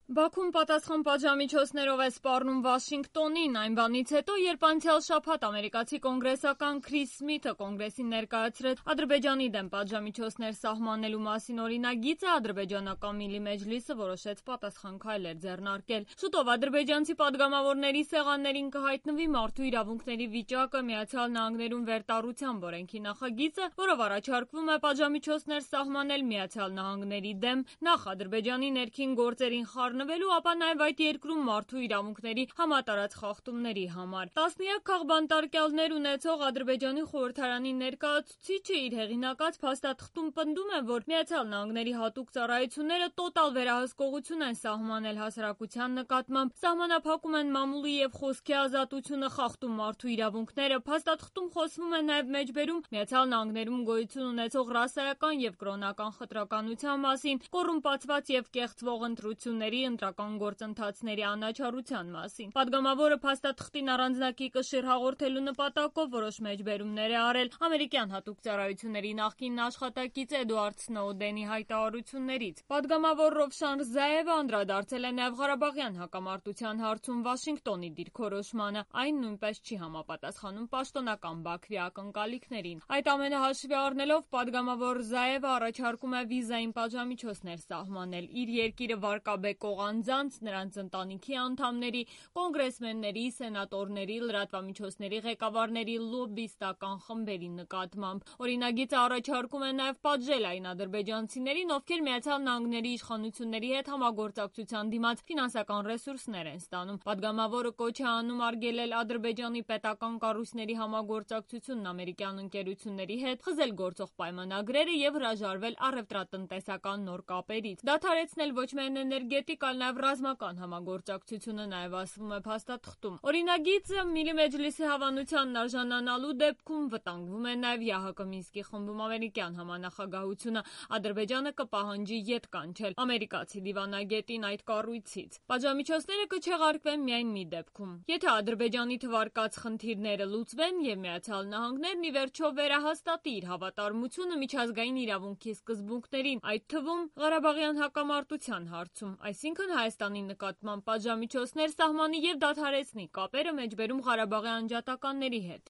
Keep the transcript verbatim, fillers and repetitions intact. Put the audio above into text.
Բաքուն պատասխան պատժամիջոցներով է սպառնում Վաշինգտոնին, այն բանից հետո, երբ անցյալ շաբաթ ամերիկացի կոնգրեսական Քրիս Սմիթը կոնգրեսին ներկայացրեց Ադրբեջանի դեմ պատժամիջոցներ սահմանելու մասին օրինագիծը, ադրբեջանական Միլի Մեջլիսը որոշեց պատասխան քայլեր ձեռնարկել։ Շուտով ադրբեջանցի падգամավորների սեղաններին կհայտնվի մարդու իրավունքների վիճակը Միացյալ Նահանգներում վերտառությամբ օրենքի նախագիծը, որով առաջարկվում է պատժամիջոցներ սահմանել Միացյալ Նահանգների դեմ, նախ Ադրբեջանի ներքին գործերին խառնվելու, ապա նաև այդ երկրում մարդու իրավունքների համատարած խախտումների համար։ Տասնյակ քաղբանտարկյալներ ունեցող Ադրբեջանի խորհրդարանի ներկայացուցիչը իր հեղինակած փաստաթղթում պնդում է, որ Միացյալ Նահանգների հատուկ ծառայությունները տոտալ վերահսկողություն են սահմանել հասարակության նկատմամբ, սահմանափակում են մամուլի և խոսքի ազատությունը, խախտում մարդու իրավունքները։ Փաստաթղթում խոսվում է նաև մեջբերում Միացյալ Նահանգներում գոյություն ունեցող ռասայական և կրոնական խտրականության մասին, կոռումպացված և կեղծվող ընտրությունների ընտրական գործընթացների անաչառության մասին։ Պատգամավորը փաստաթղթին առանձնակի կշիռ հաղորդելու նպատակով որոշ մեջբերումներ է արել ամերիկյան հատուկ ծառայությունների նախկին աշխատակից Էդուարդ Սնոուդենի հայտարարություններից։ Պատգամավոր Ռովշան Ռզաևը անդրադարձել է նաև Ղարաբաղյան հակամարտության հարցում Վաշինգտոնի դիրքորոշմանը։ Այն նույնպես չի համապատասխանում պաշտոնական Բաքվի ակնկալիքներին։ Այդ ամենը հաշվի առնելով, պատգամավոր Ռզաևը առաջարկում է վիզային պատժամիջոցներ սահմանել իր երկիրը վարկաբեկող անձանց, նրանց ընտանիքի անդամների, կոնգրեսմենների, սենատորների, լրատվամիջոցների ղեկավարների, լոբբիստական խմբերի նկատմամբ։ Օրինագիծը առաջարկում է նաև պատժել այն ադրբեջանցիներին, ովքեր Միացյալ Նահանգների իշխանությունների հետ համագործակցության դիմաց ֆինանսական ռեսուրսներ են ստանում։ Պատգամավորը կոչ է անում արգելել Ադրբեջանի պետական կառույցների համագործակցությունն ամերիկյան ընկերությունների հետ, խզել գործող պայմանագրերը և հրաժարվել առևտրատնտեսական նոր կապերից։ Դադարեցնել ոչ միայն էներգետիկ, այլ նաև ռազմական համագործակցությունը, նաև ասվում է փաստաթղթում։ Օրինագիծը Միլի Մեջլիսի հավանությանն արժանանալու դեպքում վտանգվում է նաև ԵԱՀԿ Մինսկի խմբում ամերիկյան համանախագահությունը։ Ադրբեջանը կպահանջի ետ կանչել ամերիկացի դիվանագետին այդ կառույցից։ Պատժամիջոցները կչեղարկվեն միայն մի դեպքում, եթե Ադրբեջանի թվարկած խնդիրները լուծվեն և Միացյալ Նահանգներն ի վերջո վերահաստատի իր հավատարմությունը միջազգային իրավունքի սկզբունքներին, այդ թվում Ղարաբաղյան հակամարտության հարցում, այսինքն Հայաստանի նկատմամբ պատժամիջոցներ սահմանի և դադարեցնի կապերը մեջբերում Ղարաբաղի անջատականների հետ։